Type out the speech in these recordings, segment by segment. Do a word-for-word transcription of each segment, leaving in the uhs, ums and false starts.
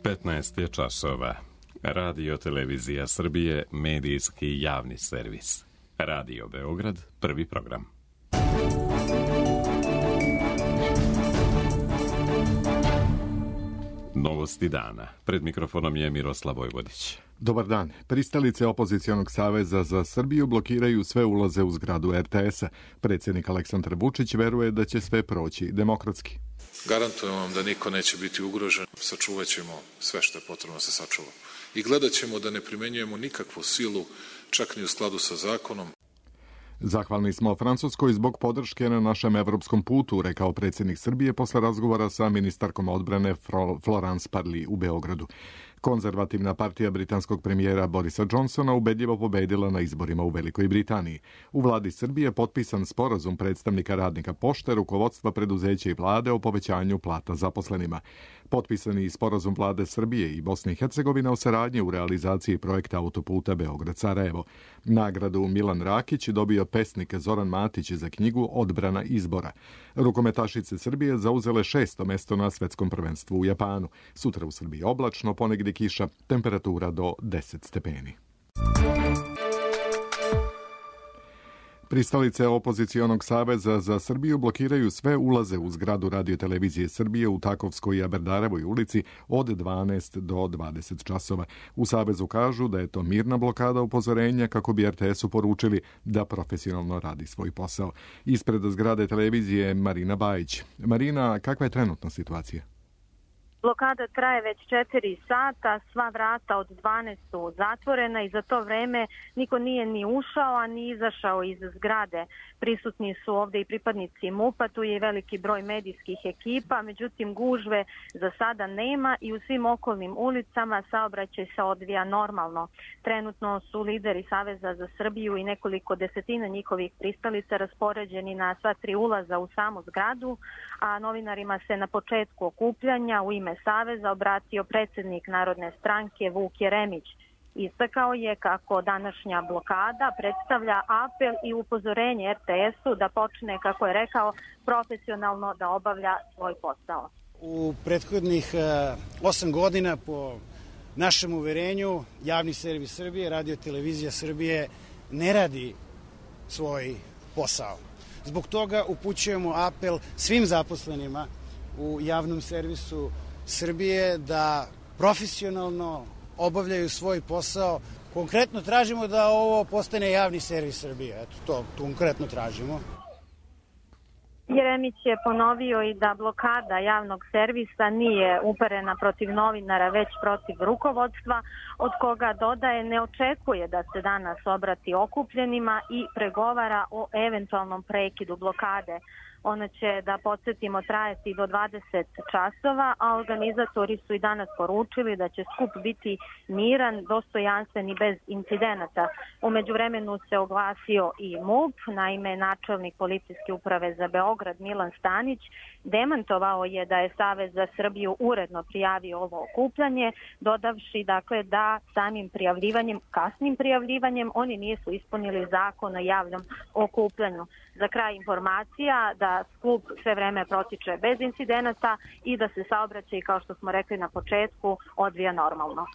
petnaest je časova. Radio Televizija Srbije, medijski javni servis. Radio Beograd, prvi program. Novosti dana. Pred mikrofonom je Miroslav Vojvodić. Dobar dan. Pristalice Opozicionog saveza za Srbiju blokiraju sve ulaze u zgradu er te es-a. Predsjednik Aleksandar Vučić veruje da će sve proći demokratski. Garantujem vam da niko neće biti ugrožen. Sačuvat ćemo sve što je potrebno se sačuva. I gledat ćemo da ne primenjujemo nikakvu silu, čak ni u skladu sa zakonom. Zahvalni smo Francuskoj zbog podrške na našem evropskom putu, rekao predsjednik Srbije posle razgovora sa ministarkom odbrane Florence Parly u Beogradu. Konzervativna partija britanskog premijera Borisa Johnsona ubedljivo pobedila na izborima u Velikoj Britaniji. U vladi Srbije potpisan sporazum predstavnika radnika pošte, rukovodstva preduzeća i vlade o povećanju plata zaposlenima. Potpisani sporazum vlade Srbije i Bosne i Hercegovine o saradnji u realizaciji projekta autoputa Beograd-Sarajevo. Nagradu Milan Rakić dobio pesnik Zoran Matić za knjigu Odbrana izbora. Rukometašice Srbije zauzele šesto mesto na svetskom prvenstvu u Japanu. Sutra u Srbiji oblačno, ponegdje kiša, temperatura do deset stepeni. Pristalice Opozicionog saveza za Srbiju blokiraju sve ulaze u zgradu Radio Televizije Srbije u Takovskoj i Aberdarevoj ulici od dvanaest do dvadeset časova. U savezu kažu da je to mirna blokada upozorenja kako bi er te es-u poručili da profesionalno radi svoj posao. Ispred zgrade televizije Marina Bajić. Marina, kakva je trenutna situacija? Blokada traje već četiri sata, sva vrata od dvanaest su zatvorena i za to vreme niko nije ni ušao, a ni izašao iz zgrade. Prisutni su ovde i pripadnici MUP-a, tu je i veliki broj medijskih ekipa, međutim gužve za sada nema i u svim okolnim ulicama saobraćaj se odvija normalno. Trenutno su lideri Saveza za Srbiju i nekoliko desetina njihovih pristalica raspoređeni na sva tri ulaza u samu zgradu, a novinarima se na početku okupljanja u ime Saveza obratio predsjednik Narodne stranke Vuk Jeremić. Istakao je kako današnja blokada predstavlja apel i upozorenje er te es-u da počne, kako je rekao, profesionalno da obavlja svoj posao. U prethodnih osam godina, po našem uverenju, javni servis Srbije, Radio Televizija Srbije ne radi svoj posao. Zbog toga upućujemo apel svim zaposlenima u javnom servisu Srbije da profesionalno obavljaju svoj posao. Konkretno tražimo da ovo postane javni servis Srbije. Eto, to konkretno tražimo. Jeremić je ponovio i da blokada javnog servisa nije uperena protiv novinara, već protiv rukovodstva, od koga dodaje ne očekuje da se danas obrati okupljenima i pregovara o eventualnom prekidu blokade. Ona će, da podsjetimo, trajati do dvadeset časova, a organizatori su i danas poručili da će skup biti miran, dostojanstven i bez incidenata. U međuvremenu se oglasio i MUP, naime načelnik policijske uprave za Beograd Milan Stanić demantovao je da je Savez za Srbiju uredno prijavio ovo okupljanje, dodavši dakle da samim prijavljivanjem, kasnim prijavljivanjem, oni nisu ispunili zakon o javnom okupljanju. Za kraj informacija da skup sve vreme protiče bez incidenata i da se saobraćaj, kao što smo rekli na početku, odvija normalno.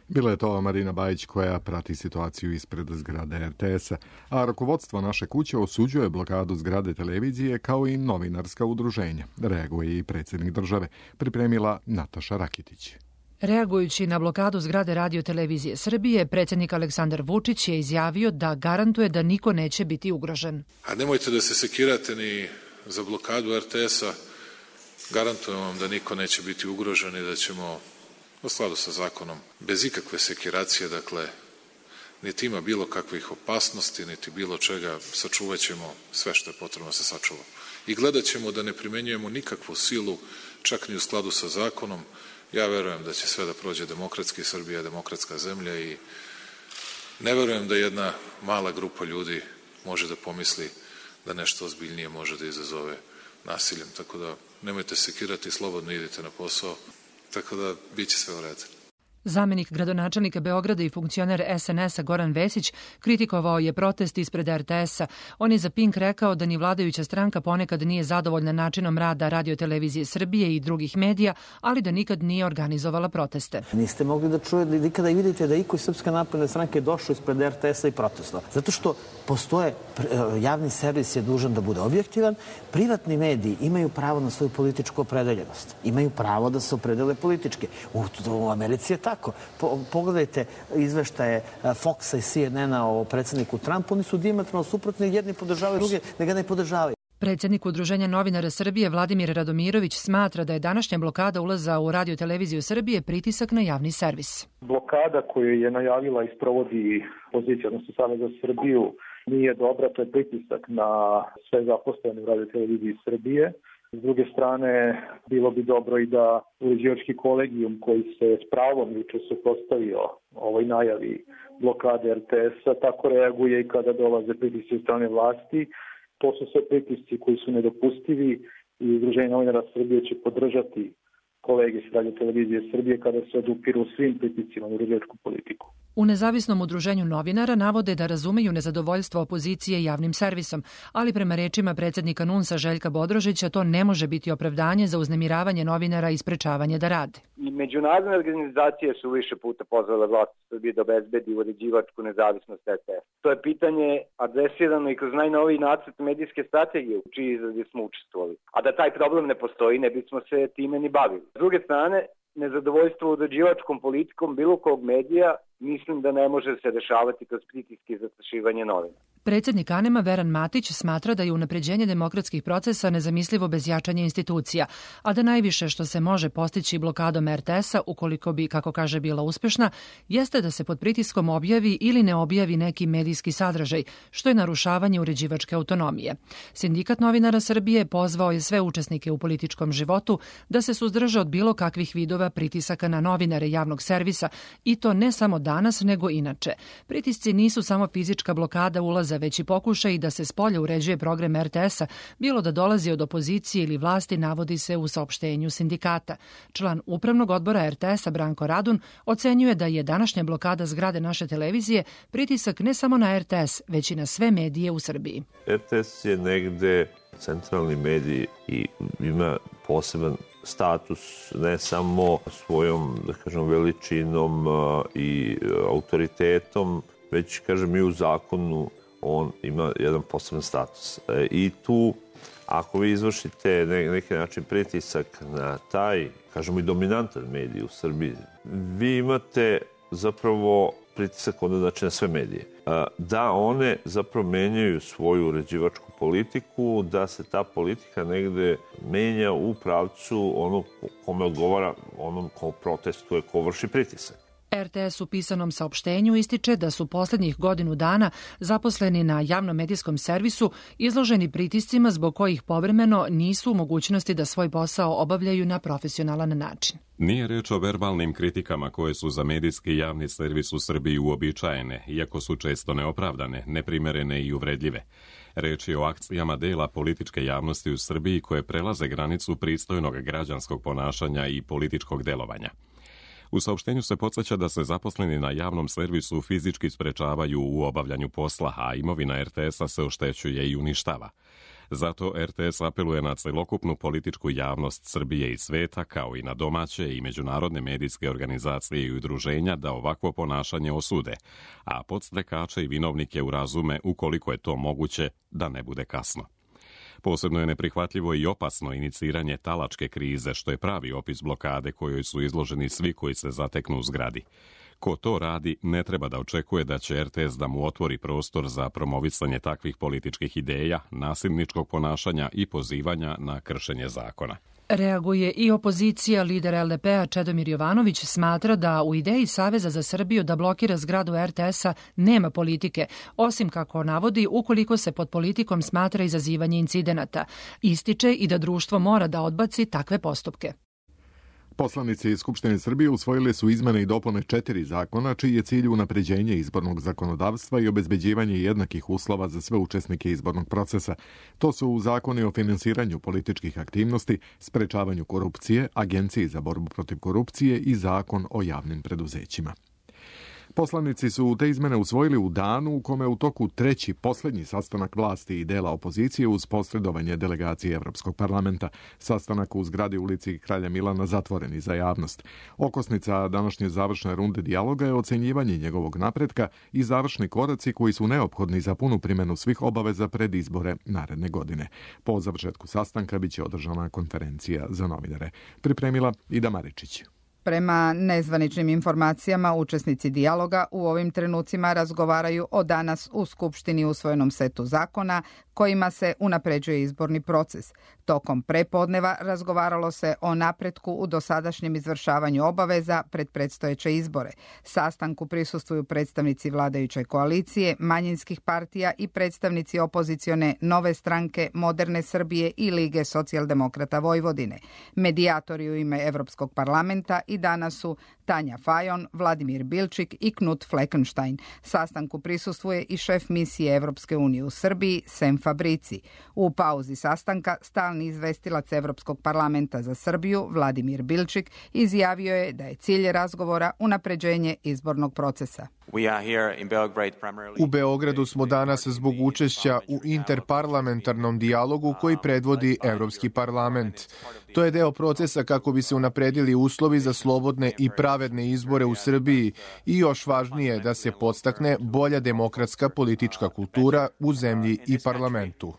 Bila je to Marina Bajić koja prati situaciju ispred zgrade er te es-a, a rukovodstvo naše kuće osuđuje blokadu zgrade televizije kao i novinarska udruženja. Reaguje i predsjednik države, pripremila Nataša Rakitić. Reagujući na blokadu zgrade Radio Televizije Srbije, predsjednik Aleksandar Vučić je izjavio da garantuje da niko neće biti ugrožen. A nemojte da se sekirate ni za blokadu er te es-a. Garantujem vam da niko neće biti ugrožen i da ćemo u skladu sa zakonom, bez ikakve sekiracije, dakle, niti ima bilo kakvih opasnosti, niti bilo čega, sačuvat ćemo sve što je potrebno se sačuva. I gledat ćemo da ne primenjujemo nikakvu silu, čak ni u skladu sa zakonom. Ja verujem da će sve da prođe demokratski, Srbija je demokratska zemlja i ne verujem da jedna mala grupa ljudi može da pomisli da nešto ozbiljnije može da izazove nasiljem. Tako da nemojte sekirati, slobodno idite na posao, tako da bit će sve u redu. Zamenik gradonačelnika Beograda i funkcioner es en es-a Goran Vesić kritikovao je protest ispred er te es-a. On je za Pink rekao da ni vladajuća stranka ponekad nije zadovoljna načinom rada Radio-televizije Srbije i drugih medija, ali da nikad nije organizovala proteste. Niste mogli da čujete, nikada i vidite da iko iz Srpske napredne stranke došao ispred er te es-a i protestovao. Zato što postoje, javni servis je dužan da bude objektivan, privatni mediji imaju pravo na svoju političku opredeljenost. Imaju pravo da se opredele politički. U, u Americi je tako. Po, pogledajte izveštaje Foxa i C N N-a o predsjedniku Trumpu, oni su dijametralno suprotni, jedni podržavaju, drugi ne ga ne podržavaju. Predsjednik Udruženja novinara Srbije Vladimir Radomirović smatra da je današnja blokada ulaza u Radio-televiziju Srbije pritisak na javni servis. Blokada koju je najavila i sprovodi pozicija, odnosno Savez za Srbiju, nije dobra, to je pritisak na sve zaposlene u Radio-televiziji Srbije. S druge strane, bilo bi dobro i da uređivački kolegijum koji se s pravom juče suprotstavio ovoj najavi blokade er te es-a, tako reaguje i kada dolaze pritisci od strane vlasti. To su sve pritisci koji su nedopustivi i Udruženje novinara Srbije će podržati kolege s Radio-televizije Srbije kada se odupiru svim pritiscima na uređivačku politiku. U nezavisnom udruženju novinara navode da razumeju nezadovoljstvo opozicije javnim servisom, ali prema rečima predsjednika en u en es-a Željka Bodrožića to ne može biti opravdanje za uznemiravanje novinara i sprečavanje da rade. I međunarodne organizacije su više puta pozvale vlast Srbije da obezbedi uređivačku nezavisnost er te es. To je pitanje adresirano i kroz najnoviji nacrt medijske strategije u čiji izradi smo učestvovali. A da taj problem ne postoji, ne bismo se time ni bavili. S druge strane, nezadovoljstvo uređivačkom politikom bilo kog medija mislim da ne može se rešavati kroz pritiske i zastrašivanje novina. Predsjednik Anema Veran Matić smatra da je unapređenje demokratskih procesa nezamislivo bez jačanja institucija, a da najviše što se može postići blokadom er te es-a, ukoliko bi, kako kaže, bila uspešna, jeste da se pod pritiskom objavi ili ne objavi neki medijski sadržaj, što je narušavanje uređivačke autonomije. Sindikat novinara Srbije pozvao je sve učesnike u političkom životu da se suzdrže od bilo kakvih vidova pritisaka na novinare javnog servisa, i to ne samo danas, nego inače. Pritisci nisu samo fizička blokada ulaza, već i pokušaj da se spolja uređuje program er te es-a, bilo da dolazi od opozicije ili vlasti, navodi se u saopštenju sindikata. Član upravnog odbora er te es-a Branko Radun ocenjuje da je današnja blokada zgrade naše televizije pritisak ne samo na er te es, već i na sve medije u Srbiji. er te es je negde centralni medij i ima poseban status ne samo svojom, da kažem, veličinom i autoritetom, već, kažem, i u zakonu on ima jedan poseban status. I tu, ako vi izvršite na neki način pritisak na taj, kažemo, i dominantan medij u Srbiji, vi imate zapravo pritisak onda, znači, na sve medije. Da one zapravo menjaju svoju uređivačku politiku, da se ta politika negde menja u pravcu onog kome odgovara, onom ko protestuje, ko vrši pritisak. er te es u pisanom saopštenju ističe da su poslednjih godinu dana zaposleni na javnom medijskom servisu izloženi pritiscima zbog kojih povremeno nisu u mogućnosti da svoj posao obavljaju na profesionalan način. Nije reč o verbalnim kritikama koje su za medijski javni servis u Srbiji uobičajene, iako su često neopravdane, neprimerene i uvredljive. Reč je o akcijama dela političke javnosti u Srbiji koje prelaze granicu pristojnog građanskog ponašanja i političkog delovanja. U saopštenju se podsjeća da se zaposleni na javnom servisu fizički sprečavaju u obavljanju posla, a imovina er te es-a se oštećuje i uništava. Zato er te es apeluje na celokupnu političku javnost Srbije i sveta, kao i na domaće i međunarodne medijske organizacije i udruženja da ovakvo ponašanje osude, a podstrekače i vinovnike urazume, ukoliko je to moguće, da ne bude kasno. Posebno je neprihvatljivo i opasno iniciranje talačke krize, što je pravi opis blokade kojoj su izloženi svi koji se zateknu u zgradi. Ko to radi, ne treba da očekuje da će er te es da mu otvori prostor za promovisanje takvih političkih ideja, nasilničkog ponašanja i pozivanja na kršenje zakona. Reaguje i opozicija. Lider el de pe-a Čedomir Jovanović smatra da u ideji Saveza za Srbiju da blokira zgradu er te es-a nema politike, osim, kako navodi, ukoliko se pod politikom smatra izazivanje incidenata. Ističe i da društvo mora da odbaci takve postupke. Poslanici iz Skupštine Srbije usvojili su izmene i dopune četiri zakona, čiji je cilj unapređenje izbornog zakonodavstva i obezbeđivanje jednakih uslova za sve učesnike izbornog procesa. To su zakoni o finansiranju političkih aktivnosti, sprečavanju korupcije, Agenciji za borbu protiv korupcije i zakon o javnim preduzećima. Poslanici su te izmene usvojili u danu u kome u toku treći poslednji sastanak vlasti i dela opozicije uz posredovanje delegacije Evropskog parlamenta. Sastanak u zgradi ulici Kralja Milana zatvoreni za javnost. Okosnica današnje završne runde dijaloga je ocenjivanje njegovog napretka i završni koraci koji su neophodni za punu primjenu svih obaveza pred izbore naredne godine. Po završetku sastanka biće održana konferencija za novinare. Pripremila Ida Maričić. Prema nezvaničnim informacijama, učesnici dijaloga u ovim trenucima razgovaraju o danas u Skupštini usvojenom setu zakona kojima se unapređuje izborni proces. Tokom prepodneva razgovaralo se o napretku u dosadašnjem izvršavanju obaveza pred predstojeće izbore. Sastanku prisustvuju predstavnici vladajuće koalicije, manjinskih partija i predstavnici opozicione Nove stranke, Moderne Srbije i Lige socijaldemokrata Vojvodine. Medijatori u ime Evropskog parlamenta i danas su Tanja Fajon, Vladimir Bilčik i Knut Fleckenstein. Sastanku prisustvuje i šef misije Evropske unije u Srbiji, Sem Fabrici. U pauzi sastanka stalni izvestilac Evropskog parlamenta za Srbiju, Vladimir Bilčik, izjavio je da je cilj razgovora unapređenje izbornog procesa. U Beogradu smo danas zbog učešća u interparlamentarnom dijalogu koji predvodi Evropski parlament. To je deo procesa kako bi se unapredili uslovi za slobodne i pravedne izbore u Srbiji i još važnije da se podstakne bolja demokratska politička kultura u zemlji i parlamentu.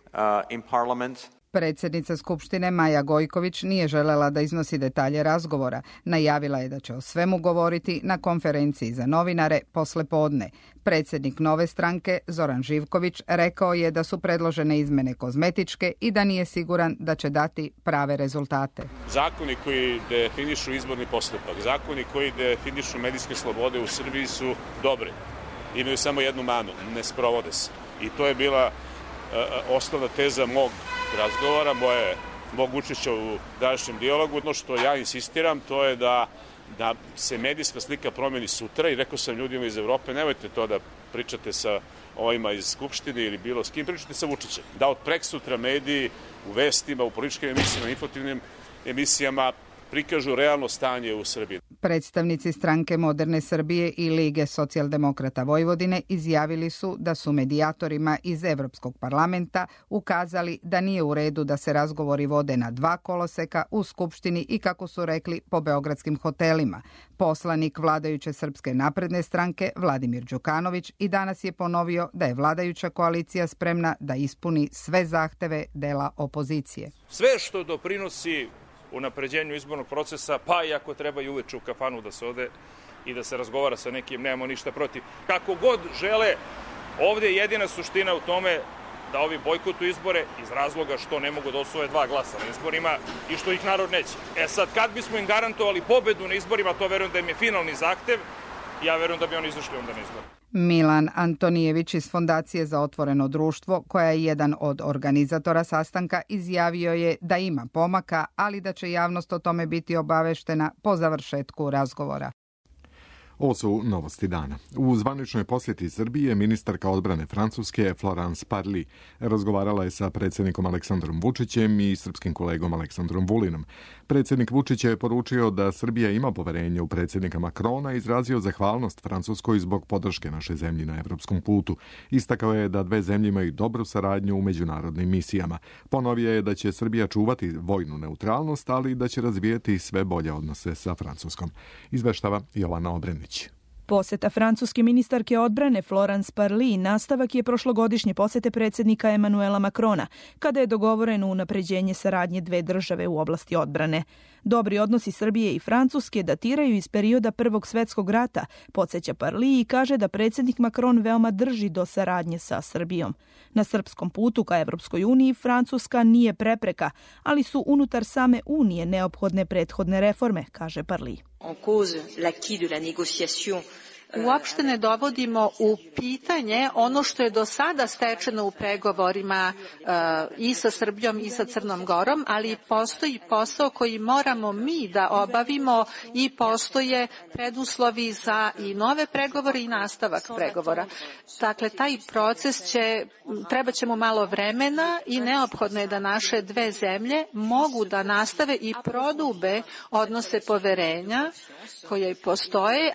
Predsjednica Skupštine Maja Gojković nije želela da iznosi detalje razgovora. Najavila je da će o svemu govoriti na konferenciji za novinare posle podne. Predsjednik Nove stranke Zoran Živković rekao je da su predložene izmene kozmetičke i da nije siguran da će dati prave rezultate. Zakoni koji definišu izborni postupak, zakoni koji definišu medijske slobode u Srbiji su dobri. Imaju samo jednu manu, ne sprovode se. I to je bila osnovna teza mog razgovora, moje, mog učešća u današnjem dijalogu. Ono što ja insistiram, to je da, da se medijska slika promeni sutra i rekao sam ljudima iz Evrope, nemojte to da pričate sa ovima iz Skupštine ili bilo s kim, pričate sa Vučićem. Da od preksutra mediji u vestima, u političkim emisijama, informativnim emisijama prikažu realno stanje u Srbiji. Predstavnici stranke Moderne Srbije i Lige socijaldemokrata Vojvodine izjavili su da su medijatorima iz Evropskog parlamenta ukazali da nije u redu da se razgovori vode na dva koloseka u Skupštini i, kako su rekli, po beogradskim hotelima. Poslanik vladajuće Srpske napredne stranke Vladimir Đukanović i danas je ponovio da je vladajuća koalicija spremna da ispuni sve zahteve dela opozicije. Sve što doprinosi unapređenju izbornog procesa, pa i ako treba i uveče u kafanu da se ode i da se razgovara sa nekim, nemamo ništa protiv. Kako god žele, ovdje je jedina suština u tome da ovi bojkotuju izbore iz razloga što ne mogu da osvoje dva glasa na izborima i što ih narod neće. E sad, kad bismo im garantovali pobedu na izborima, to verujem da im je finalni zahtev, ja verujem da bi oni izašli onda na izbor. Milan Antonijević iz Fondacije za otvoreno društvo, koja je jedan od organizatora sastanka, izjavio je da ima pomaka, ali da će javnost o tome biti obaveštena po završetku razgovora. Ovo su novosti dana. U zvaničnoj posjeti Srbije ministarka odbrane Francuske Florence Parly razgovarala je sa predsjednikom Aleksandrom Vučićem i srpskim kolegom Aleksandrom Vulinom. Predsjednik Vučić je poručio da Srbija ima poverenje u predsjednika Makrona i izrazio zahvalnost Francuskoj zbog podrške naše zemlji na evropskom putu. Istakao je da dve zemlje imaju dobru saradnju u međunarodnim misijama. Ponovio je da će Srbija čuvati vojnu neutralnost, ali da će razvijeti sve bolje odnose sa Francuskom. Izveštava Jovana Obrenić. Poseta francuske ministarke odbrane Florence Parly nastavak je prošlogodišnje posete predsjednika Emanuela Makrona, kada je dogovoreno unapređenje saradnje dve države u oblasti odbrane. Dobri odnosi Srbije i Francuske datiraju iz perioda Prvog svjetskog rata, podsjeća Parly i kaže da predsjednik Makron veoma drži do saradnje sa Srbijom. Na srpskom putu ka Evropskoj uniji Francuska nije prepreka, ali su unutar same unije neophodne prethodne reforme, kaže Parly. En cause l'acquis de la négociation uopšte ne dovodimo u pitanje ono što je do sada stečeno u pregovorima i sa Srbijom i sa Crnom Gorom, ali postoji posao koji moramo mi da obavimo i postoje preduslovi za i nove pregovore i nastavak pregovora. Dakle, taj proces će, treba će mu malo vremena i neophodno je da naše dve zemlje mogu da nastave i prodube odnose poverenja koje postoje.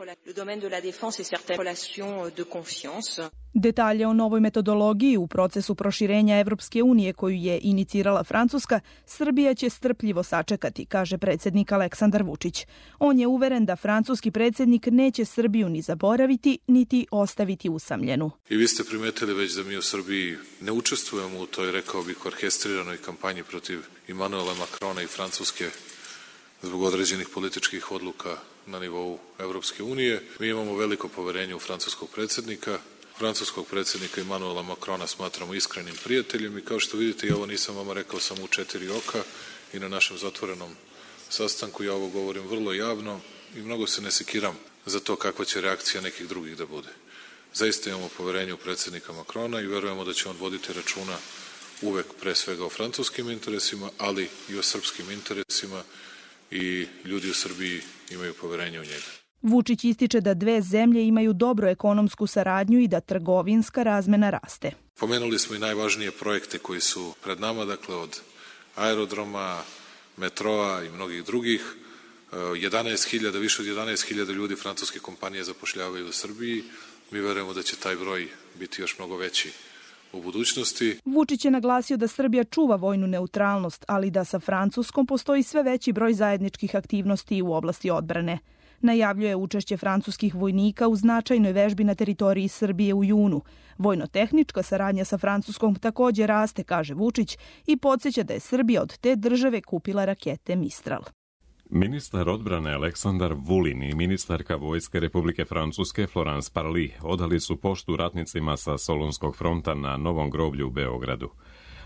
Detalje o novoj metodologiji u procesu proširenja Evropske unije koju je inicirala Francuska, Srbija će strpljivo sačekati, kaže predsjednik Aleksandar Vučić. On je uveren da francuski predsjednik neće Srbiju ni zaboraviti, niti ostaviti usamljenu. I vi ste primetili već da mi u Srbiji ne učestvujemo u toj, rekao bih, orkestriranoj kampanji protiv Emanuela Macrona i Francuske zbog određenih političkih odluka na nivou Evropske unije. Mi imamo veliko poverenje u francuskog predsjednika. Francuskog predsjednika Emanuela Macrona smatramo iskrenim prijateljem i kao što vidite, ja ovo nisam vama rekao samo u četiri oka i na našem zatvorenom sastanku, ja ovo govorim vrlo javno i mnogo se ne sekiram za to kakva će reakcija nekih drugih da bude. Zaista imamo poverenje u predsjednika Macrona i verujemo da će on voditi računa uvek pre svega o francuskim interesima, ali i o srpskim interesima i ljudi u Srbiji imaju poverenje u njega. Vučić ističe da dve zemlje imaju dobru ekonomsku saradnju i da trgovinska razmena raste. Pomenuli smo i najvažnije projekte koji su pred nama, dakle od aerodroma, metroa i mnogih drugih. jedanaest hiljada, više od jedanaest hiljada ljudi francuske kompanije zapošljavaju u Srbiji. Mi verujemo da će taj broj biti još mnogo veći u budućnosti. Vučić je naglasio da Srbija čuva vojnu neutralnost, ali da sa Francuskom postoji sve veći broj zajedničkih aktivnosti u oblasti odbrane. Najavljuje učešće francuskih vojnika u značajnoj vežbi na teritoriji Srbije u junu. Vojno-tehnička saradnja sa Francuskom također raste, kaže Vučić, i podsjeća da je Srbija od te države kupila rakete Mistral. Ministar odbrane Aleksandar Vulin i ministarka vojske Republike Francuske Florence Parly odali su poštu ratnicima sa Solunskog fronta na Novom groblju u Beogradu.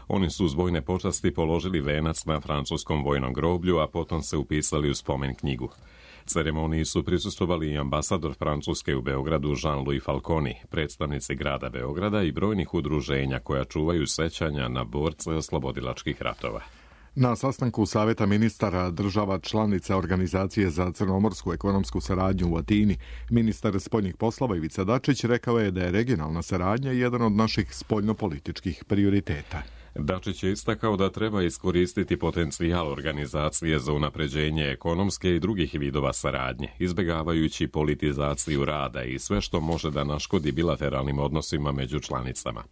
Oni su uz vojne počasti položili venac na francuskom vojnom groblju, a potom se upisali u spomen knjigu. Ceremoniji su prisustvovali i ambasador Francuske u Beogradu Jean-Louis Falconi, predstavnici grada Beograda i brojnih udruženja koja čuvaju sećanja na borce oslobodilačkih ratova. Na sastanku Saveta ministara država članica Organizacije za crnomorsku ekonomsku saradnju u Atini, ministar spoljnih poslova Ivica Dačić rekao je da je regionalna saradnja jedan od naših spoljnopolitičkih prioriteta. Dačić je istakao da treba iskoristiti potencijal organizacije za unapređenje ekonomske i drugih vidova saradnje, izbjegavajući politizaciju rada i sve što može da naškodi bilateralnim odnosima među članicama.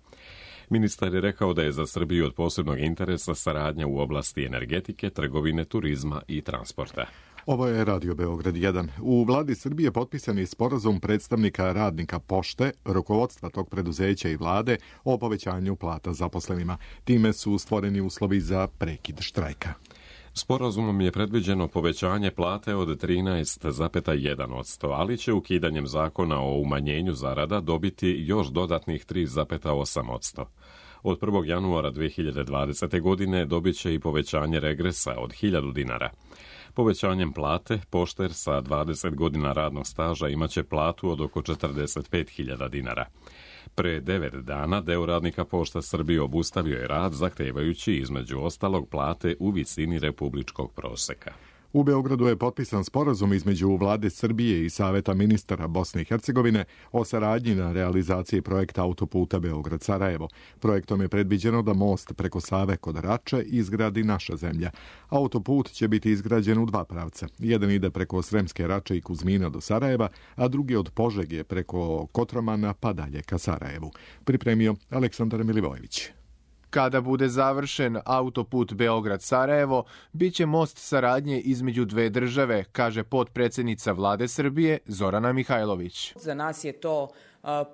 Ministar je rekao da je za Srbiju od posebnog interesa saradnja u oblasti energetike, trgovine, turizma i transporta. Ovo je Radio Beograd jedan. U vladi Srbije potpisan je sporazum predstavnika radnika Pošte, rukovodstva tog preduzeća i vlade o povećanju plata zaposlenima. Time su stvoreni uslovi za prekid štrajka. Sporazumom je predviđeno povećanje plate od trinaest zarez jedan posto, ali će ukidanjem zakona o umanjenju zarada dobiti još dodatnih tri zarez osam posto. Od prvog januara dve hiljade dvadesete. godine dobit će i povećanje regresa od hiljadu dinara. Povećanjem plate, pošter sa dvadeset godina radnog staža imaće platu od oko četrdeset pet hiljada dinara. Pre devet dana deo radnika Pošta Srbije obustavio je rad, zahtevajući između ostalog plate u visini republičkog proseka. U Beogradu je potpisan sporazum između vlade Srbije i Saveta ministara Bosne i Hercegovine o saradnji na realizaciji projekta autoputa Beograd-Sarajevo. Projektom je predviđeno da most preko Save kod Rače izgradi naša zemlja. Autoput će biti izgrađen u dva pravca. Jedan ide preko Sremske Rače i Kuzmina do Sarajeva, a drugi od Požege preko Kotromana pa dalje ka Sarajevu. Pripremio Aleksandar Milivojević. Kada bude završen autoput Beograd-Sarajevo, bit će most saradnje između dve države, kaže potpredsjednica vlade Srbije Zorana Mihajlović. Za nas je to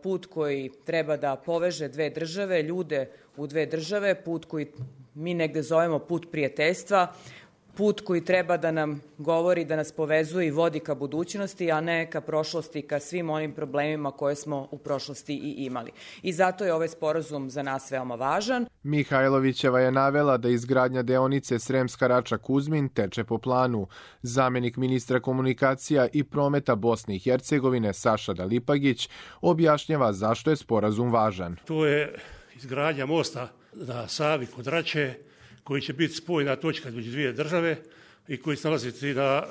put koji treba da poveže dve države, ljude u dve države, put koji mi negde zovemo put prijateljstva, put koji treba da nam govori, da nas povezuje i vodi ka budućnosti, a ne ka prošlosti, ka svim onim problemima koje smo u prošlosti i imali. I zato je ovaj sporazum za nas veoma važan. Mihajlovićeva je navela da izgradnja deonice Sremska Rača-Kuzmin teče po planu. Zamenik ministra komunikacija i prometa Bosne i Hercegovine Saša Dalipagić objašnjava zašto je sporazum važan. To je izgradnja mosta na Savi kod Rače, koji će biti spojna točka između dvije države i koji se nalaziti na,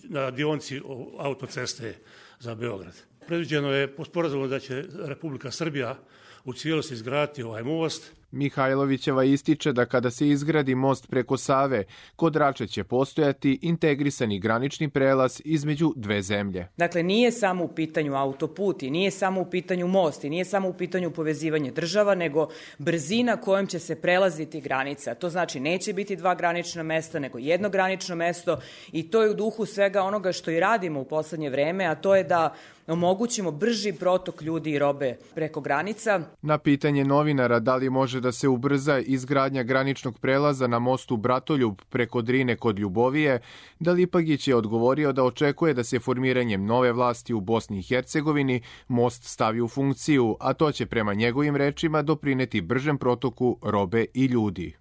na dionici autoceste za Beograd. Predviđeno je po sporazumu da će Republika Srbija u cijelosti izgraditi ovaj most. Mihajlovićeva ističe da kada se izgradi most preko Save, kod Rače će postojati integrisani granični prelaz između dve zemlje. Dakle, nije samo u pitanju autoput i nije samo u pitanju most i nije samo u pitanju povezivanje država, nego brzina kojom će se prelaziti granica. To znači neće biti dva granična mesta, nego jedno granično mesto i to je u duhu svega onoga što i radimo u poslednje vreme, a to je da omogućimo brži protok ljudi i robe preko granica. Na pitanje novinara da li može da se ubrza izgradnja graničnog prelaza na mostu Bratoljub preko Drine kod Ljubovije, Dalipagić je odgovorio da očekuje da se formiranjem nove vlasti u Bosni i Hercegovini most stavi u funkciju, a to će prema njegovim rečima doprineti bržem protoku robe i ljudi.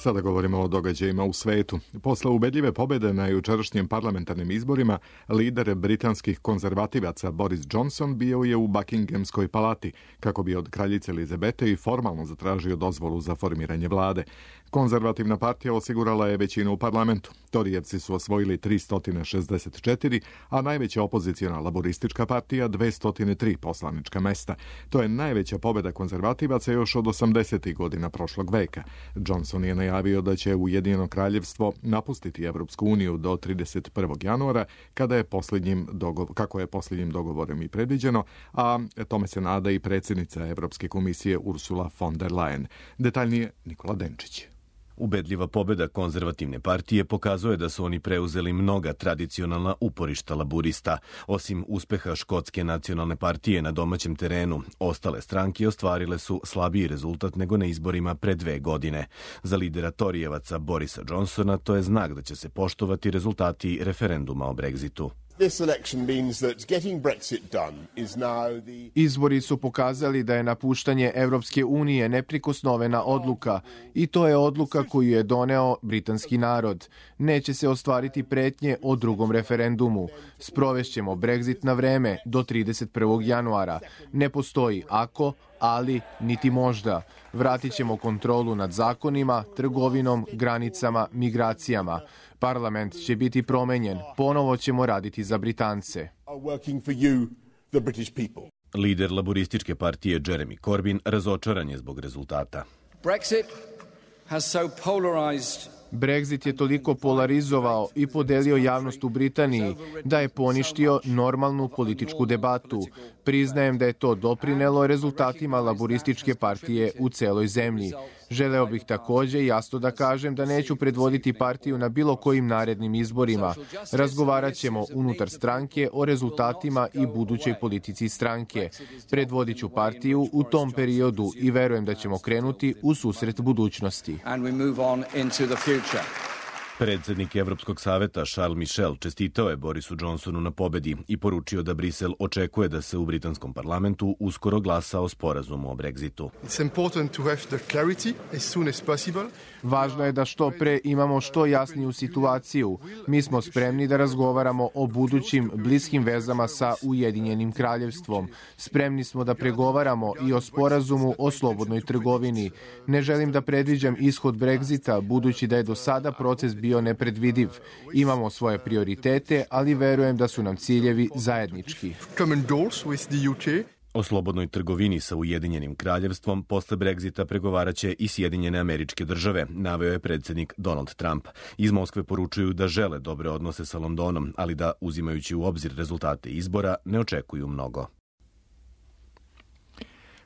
Sada govorimo o događajima u svetu. Posle ubedljive pobjede na jučerašnjim parlamentarnim izborima, lider britanskih konzervativaca Boris Johnson bio je u Buckinghamskoj palati, kako bi od kraljice Elizabete i formalno zatražio dozvolu za formiranje vlade. Konzervativna partija osigurala je većinu u parlamentu. Torijevci su osvojili tristo šezdeset četiri, a najveća opozicijona laboristička partija dvesta tri poslanička mesta. To je najveća pobjeda konzervativaca još od osamdesetih godina prošlog veka. Johnson je najavio da će Ujedinjeno kraljevstvo napustiti Evropsku uniju do trideset prvog januara, kada je posljednjim dogovor, kako je posljednjim dogovorem i predviđeno, a tome se nada i predsjednica Evropske komisije Ursula von der Leyen. Detaljnije Nikola Denčić. Ubedljiva pobjeda konzervativne partije pokazuje da su oni preuzeli mnoga tradicionalna uporišta laburista. Osim uspeha Škotske nacionalne partije na domaćem terenu, ostale stranke ostvarile su slabiji rezultat nego na izborima pre dve godine. Za lidera Torijevaca Borisa Johnsona to je znak da će se poštovati rezultati referenduma o Brexitu. Izbori su pokazali da je napuštanje Evropske unije neprikosnovena odluka i to je odluka koju je doneo britanski narod. Neće se ostvariti pretnje o drugom referendumu. Sprovešćemo Brexit na vreme do trideset prvog januara. Ne postoji ako, ali niti možda. Vratit ćemo kontrolu nad zakonima, trgovinom, granicama, migracijama. Parlament će biti promenjen. Ponovo ćemo raditi za Britance. Lider laborističke partije Jeremy Corbyn razočaran je zbog rezultata. Brexit has so polarized Brexit je toliko polarizovao i podelio javnost u Britaniji da je poništio normalnu političku debatu. Priznajem da je to doprinelo rezultatima laborističke partije u celoj zemlji. Želeo bih takođe jasno da kažem da neću predvoditi partiju na bilo kojim narednim izborima. Razgovarat ćemo unutar stranke o rezultatima i budućoj politici stranke. Predvodit ću partiju u tom periodu i verujem da ćemo krenuti u susret budućnosti. Predsjednik Evropskog saveta Charles Michel čestitao je Borisu Johnsonu na pobedi i poručio da Brisel očekuje da se u britanskom parlamentu uskoro glasa o sporazumu o Brexitu. Važno je da što pre imamo što jasniju situaciju. Mi smo spremni da razgovaramo o budućim bliskim vezama sa Ujedinjenim kraljevstvom. Spremni smo da pregovaramo i o sporazumu o slobodnoj trgovini. Ne želim da predviđam ishod Brexita, budući da je do sada proces bio nepredvidiv. Imamo svoje prioritete, ali verujem da su nam ciljevi zajednički. O slobodnoj trgovini sa Ujedinjenim kraljevstvom posle Brexita pregovaraće i Sjedinjene Američke Države, naveo je predsjednik Donald Trump. Iz Moskve poručuju da žele dobre odnose sa Londonom, ali da, uzimajući u obzir rezultate izbora, ne očekuju mnogo.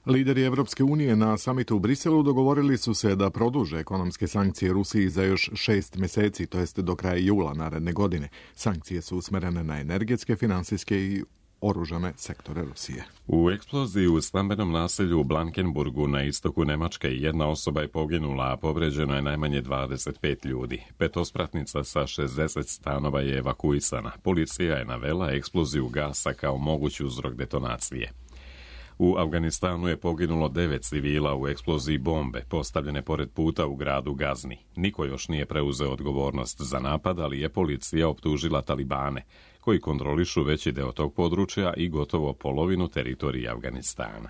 Lideri Evropske unije na samitu u Briselu dogovorili su se da produže ekonomske sankcije Rusiji za još šest meseci, to jest do kraja jula naredne godine. Sankcije su usmerene na energetske, finansijske i oružane sektore Rusije. U eksploziji u stambenom naselju u Blankenburgu na istoku Nemačke jedna osoba je poginula, a povređeno je najmanje dvadeset pet ljudi. Petospratnica sa šezdeset stanova je evakuisana. Policija je navela eksploziju gasa kao mogući uzrok detonacije. U Afganistanu je poginulo devet civila u eksploziji bombe postavljene pored puta u gradu Gazni. Niko još nije preuzeo odgovornost za napad, ali je policija optužila Talibane, koji kontrolišu veći deo tog područja i gotovo polovinu teritorije Afganistana.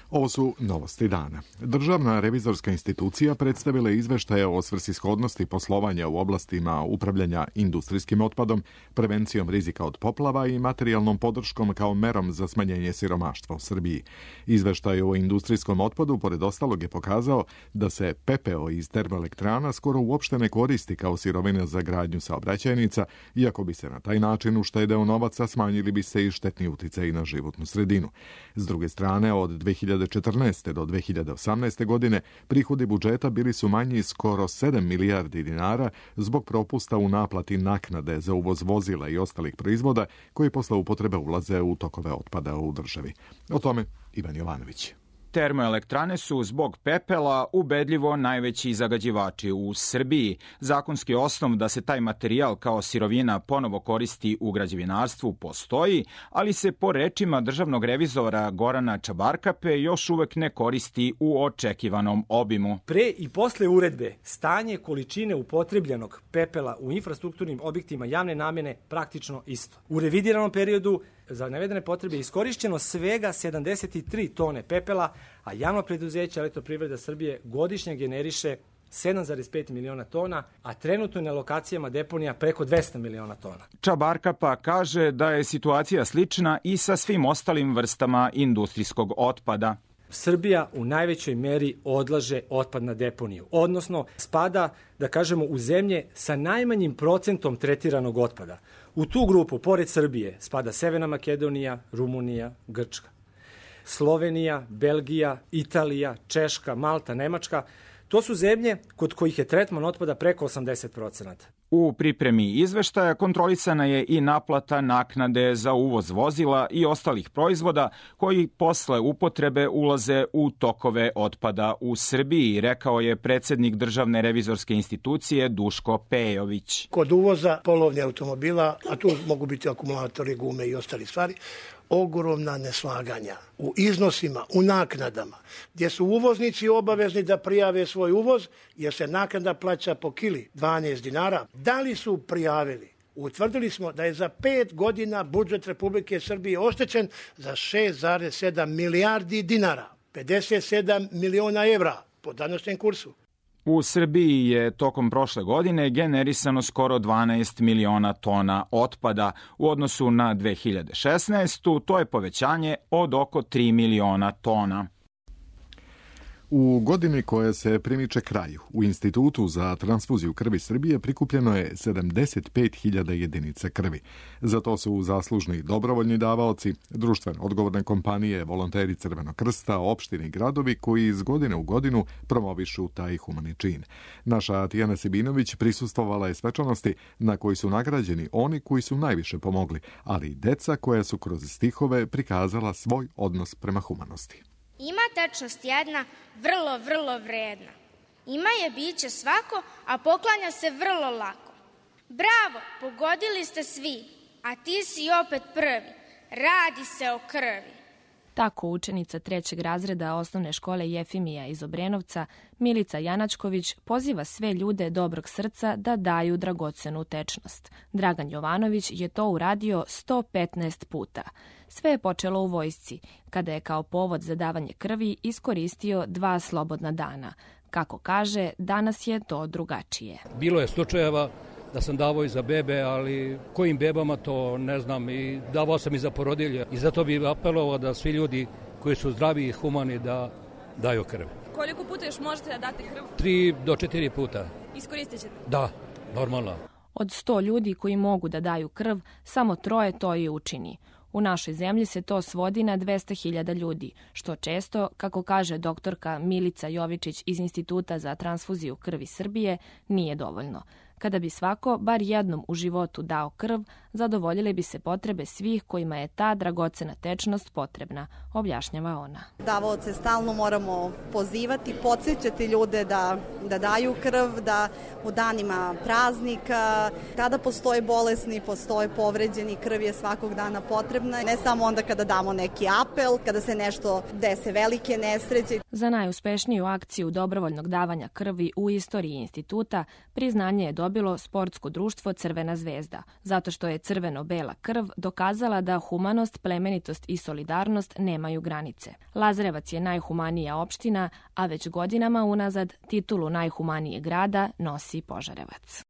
Ovo su novosti dana. Državna revizorska institucija predstavila izveštaje o svrsishodnosti poslovanja u oblastima upravljanja industrijskim otpadom, prevencijom rizika od poplava i materijalnom podrškom kao merom za smanjenje siromaštva u Srbiji. Izveštaj o industrijskom otpadu, pored ostalog, je pokazao da se pepeo iz termoelektrana skoro uopšte ne koristi kao sirovina za gradnju saobraćajnica, iako bi se na taj način uštedeo novaca, smanjili bi se i štetni uticaji na životnu sredinu. S druge strane, od dve hiljade četrnaeste. do dve hiljade osamnaeste. godine prihodi budžeta bili su manji skoro sedam milijardi dinara zbog propusta u naplati naknade za uvoz vozila i ostalih proizvoda koji posle upotrebe ulaze u tokove otpada u državi. O tome Ivan Jovanović. Termoelektrane su zbog pepela ubedljivo najveći zagađivači u Srbiji. Zakonski osnov da se taj materijal kao sirovina ponovo koristi u građevinarstvu postoji, ali se po rečima državnog revizora Gorana Čabarkape još uvek ne koristi u očekivanom obimu. Pre i posle uredbe stanje količine upotrebljenog pepela u infrastrukturnim objektima javne namene praktično isto. U revidiranom periodu za navedene potrebe je iskorišćeno svega sedamdeset tri tone pepela, a javno preduzeće Elektroprivreda Srbije godišnje generiše sedam zarez pet miliona tona, a trenutno je na lokacijama deponija preko dvesta miliona tona. Čabarkapa kaže da je situacija slična i sa svim ostalim vrstama industrijskog otpada. Srbija u najvećoj meri odlaže otpad na deponiju, odnosno spada, da kažemo, u zemlje sa najmanjim procentom tretiranog otpada. U tu grupu, pored Srbije, spada Severna Makedonija, Rumunija, Grčka. Slovenija, Belgija, Italija, Češka, Malta, Nemačka, to su zemlje kod kojih je tretman otpada preko osamdeset procenata. U pripremi izveštaja kontrolisana je i naplata naknade za uvoz vozila i ostalih proizvoda koji posle upotrebe ulaze u tokove otpada u Srbiji, rekao je predsednik Državne revizorske institucije Duško Pejović. Kod uvoza polovnih automobila, a tu mogu biti akumulatori, gume i ostali stvari, ogromna neslaganja u iznosima, u naknadama, gdje su uvoznici obavezni da prijave svoj uvoz, jer se naknada plaća po kili dvanaest dinara. Da li su prijavili? Utvrdili smo da je za pet godina budžet Republike Srbije oštećen za šest zarez sedam milijardi dinara, pedeset sedam miliona evra po današnjem kursu. U Srbiji je tokom prošle godine generisano skoro dvanaest miliona tona otpada. U odnosu na dve hiljade šesnaestu. to je povećanje od oko tri miliona tona. U godini koja se primiče kraju, u Institutu za transfuziju krvi Srbije prikupljeno je sedamdeset pet hiljada jedinica krvi. Za to su zaslužni dobrovoljni davaoci, društveno odgovorne kompanije, volonteri Crvenog krsta, opštine i gradovi koji iz godine u godinu promovišu taj humani čin. Naša Tijana Sibinović prisustvovala je svečanosti na koji su nagrađeni oni koji su najviše pomogli, ali i deca koja su kroz stihove prikazala svoj odnos prema humanosti. Ima tečnost jedna, vrlo, vrlo vredna. Ima je biće svako, a poklanja se vrlo lako. Bravo, pogodili ste svi, a ti si opet prvi. Radi se o krvi. Tako učenica trećeg razreda osnovne škole Jefimija iz Obrenovca, Milica Janačković, poziva sve ljude dobrog srca da daju dragocenu tečnost. Dragan Jovanović je to uradio sto petnaest puta. Sve je počelo u vojsci, kada je kao povod za davanje krvi iskoristio dva slobodna dana. Kako kaže, danas je to drugačije. Bilo je slučajeva da sam davao i za bebe, ali kojim bebama to ne znam, i davao sam i za porodilje. I zato bih apelovao da svi ljudi koji su zdravi i humani da daju krv. Koliko puta još možete da date krv? Tri do četiri puta. Iskoristit ćete? Da, normalno. Od sto ljudi koji mogu da daju krv, samo troje to i učini. U našoj zemlji se to svodi na dvesta hiljada ljudi, što često, kako kaže doktorka Milica Jovičić iz Instituta za transfuziju krvi Srbije, nije dovoljno. Kada bi svako bar jednom u životu dao krv, zadovoljile bi se potrebe svih kojima je ta dragocena tečnost potrebna, objašnjava ona. Davaoce stalno moramo pozivati, podsjećati ljude da, da daju krv, da u danima praznika, kada postoje bolesni, postoje povređeni, krv je svakog dana potrebna, ne samo onda kada damo neki apel, kada se nešto dese velike nesreće. Za najuspešniju akciju dobrovoljnog davanja krvi u istoriji instituta priznanje je dobilo sportsko društvo Crvena zvezda, zato što je crveno-bela krv dokazala da humanost, plemenitost i solidarnost nemaju granice. Lazarevac je najhumanija opština, a već godinama unazad titulu najhumanije grada nosi Požarevac.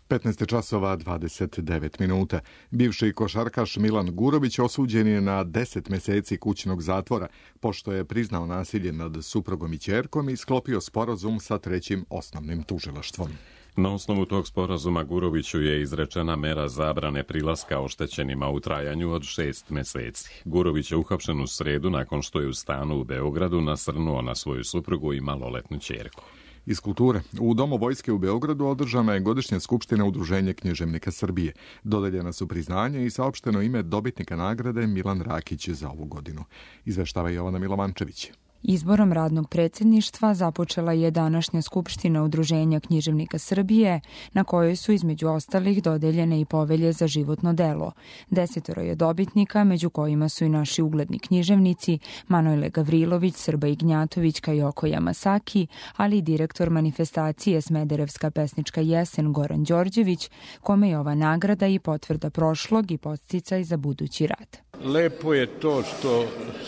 petnaest časova dvadeset devet minuta. Bivši košarkaš Milan Gurović osuđen je na deset meseci kućnog zatvora, pošto je priznao nasilje nad suprugom i ćerkom i sklopio sporazum sa trećim osnovnim tužilaštvom. Na osnovu tog sporazuma Guroviću je izrečena mera zabrane prilaska oštećenima u trajanju od šest meseci. Gurović je uhapšen u sredu nakon što je u stanu u Beogradu nasrnuo na svoju suprugu i maloletnu ćerku. Iz kulture. U Domu vojske u Beogradu održana je godišnja skupština Udruženja književnika Srbije. Dodeljena su priznanja i saopšteno ime dobitnika nagrade Milan Rakić za ovu godinu. Izveštava Jovana Milovančević. Izborom radnog predsjedništva započela je današnja skupština Udruženja književnika Srbije, na kojoj su između ostalih dodeljene i povelje za životno delo. Desetoro je dobitnika, među kojima su i naši ugledni književnici Manojle Gavrilović, Srba Ignjatović, Kajoko Yamasaki, ali i direktor manifestacije Smederevska pesnička jesen Goran Đorđević, kome je ova nagrada i potvrda prošlog i podsticaj za budući rad. Lepo je to što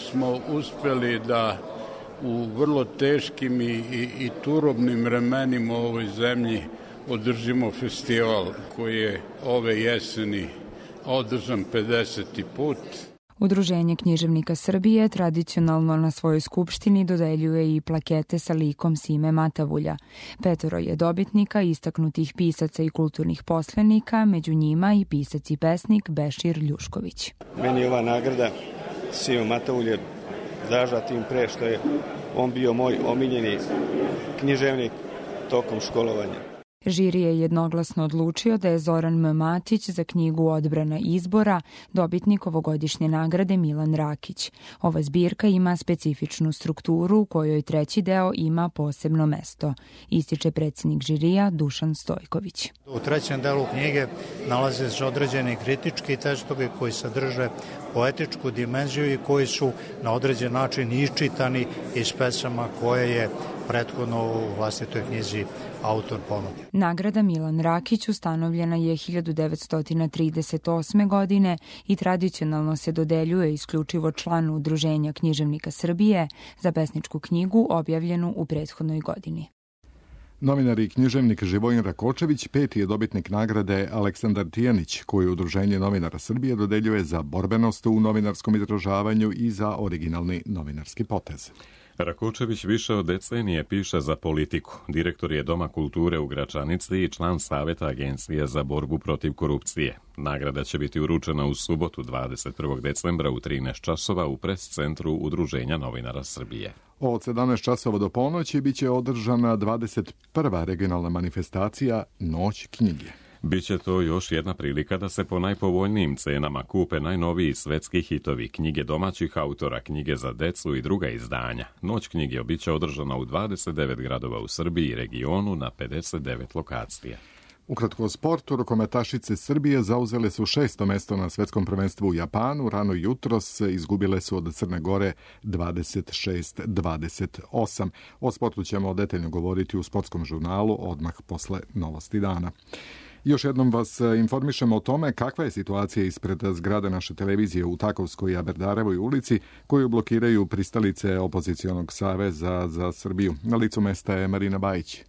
smo uspeli da u vrlo teškim i, i, i turobnim vremenima u ovoj zemlji održimo festival koji je ove jeseni održan pedeseti put. Udruženje književnika Srbije tradicionalno na svojoj skupštini dodeljuje i plakete sa likom Sime Matavulja. Petoro je dobitnika istaknutih pisaca i kulturnih poslenika, među njima i pisac i pesnik Bešir Ljušković. Meni je ova nagrada Sime Matavulje draža tim pre što je on bio moj omiljeni književnik tokom školovanja. Žiri je jednoglasno odlučio da je Zoran M. Matić za knjigu Odbrana izbora dobitnik ovogodišnje nagrade Milan Rakić. Ova zbirka ima specifičnu strukturu u kojoj treći deo ima posebno mesto, ističe predsjednik žirija Dušan Stojković. U trećem delu knjige nalaze se određeni kritički tekstovi koji sadrže poetičku dimenziju i koji su na određen način iščitani iz pesama koje je prethodno u vlastitoj knjizi autor ponudio. Nagrada Milan Rakić ustanovljena je hiljadu devetsto trideset osme. godine i tradicionalno se dodeljuje isključivo članu Udruženja književnika Srbije za pesničku knjigu objavljenu u prethodnoj godini. Novinar i književnik Živojin Rakočević peti je dobitnik nagrade Aleksandar Tijanić, koju Udruženje novinara Srbije dodeljuje za borbenost u novinarskom izražavanju i za originalni novinarski potez. Rakočević više od decenije piše za Politiku. Direktor je Doma kulture u Gračanici i član Saveta Agencije za borbu protiv korupcije. Nagrada će biti uručena u subotu dvadeset prvog decembra u trinaest časova u pres centru Udruženja novinara Srbije. Od sedamnaest časova do ponoći biće održana dvadeset prva regionalna manifestacija Noć knjige. Biće to još jedna prilika da se po najpovoljnijim cenama kupe najnoviji svetski hitovi, knjige domaćih autora, knjige za decu i druga izdanja. Noć knjige biće održana u dvadeset devet gradova u Srbiji i regionu na pedeset devet lokacija. Ukratko o sportu, rukometašice Srbije zauzele su šesto mesto na svetskom prvenstvu u Japanu. Rano jutros izgubile su od Crne Gore dvadeset šest dvadeset osam. O sportu ćemo detaljno govoriti u sportskom žurnalu odmah posle novosti dana. Još jednom vas informišemo o tome kakva je situacija ispred zgrade naše televizije u Takovskoj i Aberdarevoj ulici, koju blokiraju pristalice opozicionog saveza za Srbiju. Na licu mesta je Marina Bajić.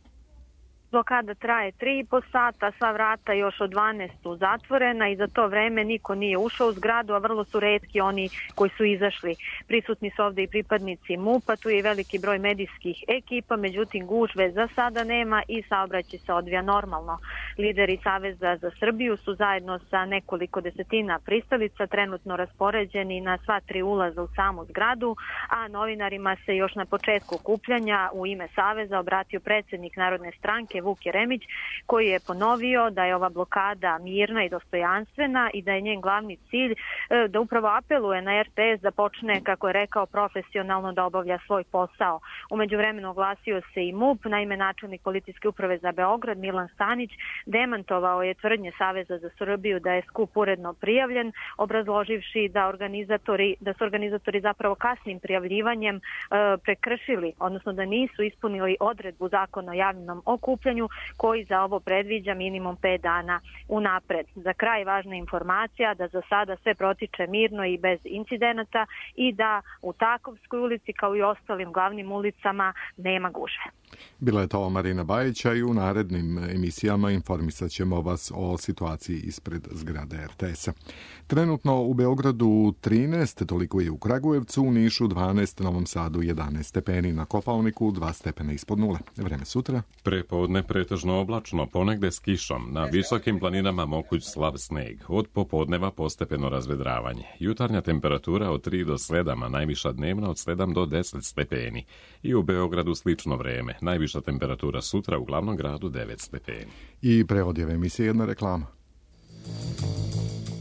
Blokada traje tri i po sata, sva vrata još od dvanaest su zatvorena i za to vreme niko nije ušao u zgradu, a vrlo su retki oni koji su izašli. Prisutni su ovde i pripadnici MUP-a, tu je i veliki broj medijskih ekipa, međutim gužve za sada nema i saobraćaj se odvija normalno. Lideri Saveza za Srbiju su zajedno sa nekoliko desetina pristalica trenutno raspoređeni na sva tri ulaza u samu zgradu, a novinarima se još na početku okupljanja u ime Saveza obratio predsjednik Narodne stranke stranke Vuk Jeremić, koji je ponovio da je ova blokada mirna i dostojanstvena i da je njen glavni cilj da upravo apeluje na er te es da počne, kako je rekao, profesionalno da obavlja svoj posao. Umeđu vremenu oglasio se i MUP, naime načelnik policijske uprave za Beograd Milan Stanić demantovao je tvrdnje Saveza za Srbiju da je skup uredno prijavljen, obrazloživši da organizatori da su organizatori zapravo kasnim prijavljivanjem e, prekršili, odnosno da nisu ispunili odredbu zakona o javnom okupljanju koji za ovo predviđa minimum pet dana unapred. Za kraj važna informacija da za sada sve protiče mirno i bez incidenata i da u Takovskoj ulici kao i ostalim glavnim ulicama nema gužve. Bila je to Marina Bajića i u narednim emisijama informisat ćemo vas o situaciji ispred zgrade er te es-a. Trenutno u Beogradu trinaest, toliko je u Kragujevcu, u Nišu dvanaest, Novom Sadu jedanaest stepeni, na Kopaoniku dva stepena ispod nule. Vreme sutra? Prepodne pretežno oblačno, ponegde s kišom, na visokim planinama moguć slab sneg, od popodneva postepeno razvedravanje. Jutarnja temperatura od tri do sedam, a najviša dnevna od sedam do deset stepeni. I u Beogradu slično vreme, najviša temperatura sutra u glavnom gradu devet stepeni. I pre odjeve emisije jedna reklama.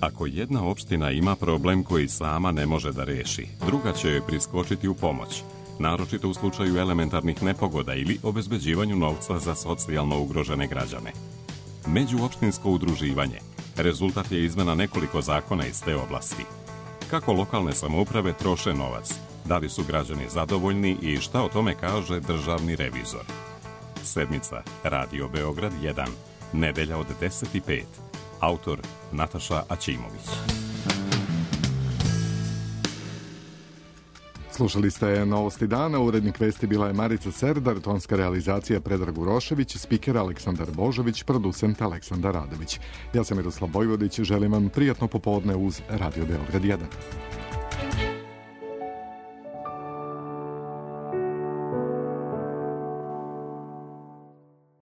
Ako jedna opština ima problem koji sama ne može da reši, druga će joj priskočiti u pomoć, naročito u slučaju elementarnih nepogoda ili obezbeđivanju novca za socijalno ugrožene građane. Međuopštinsko udruživanje rezultat je izmena nekoliko zakona iz te oblasti. Kako lokalne samouprave troše novac, da li su građani zadovoljni i šta o tome kaže državni revizor. Sedmica, Radio Beograd jedan, nedelja od deset i pet. Autor Nataša Aćimović. Slušali ste Novosti dana, urednik vesti bila je Marica Serdar, tonska realizacija Predrag Urošević, spiker Aleksandar Božović, producent Aleksandar Radović. Ja sam Miroslav Vojvodić, želim vam prijatno popodne uz Radio Beograd jedan.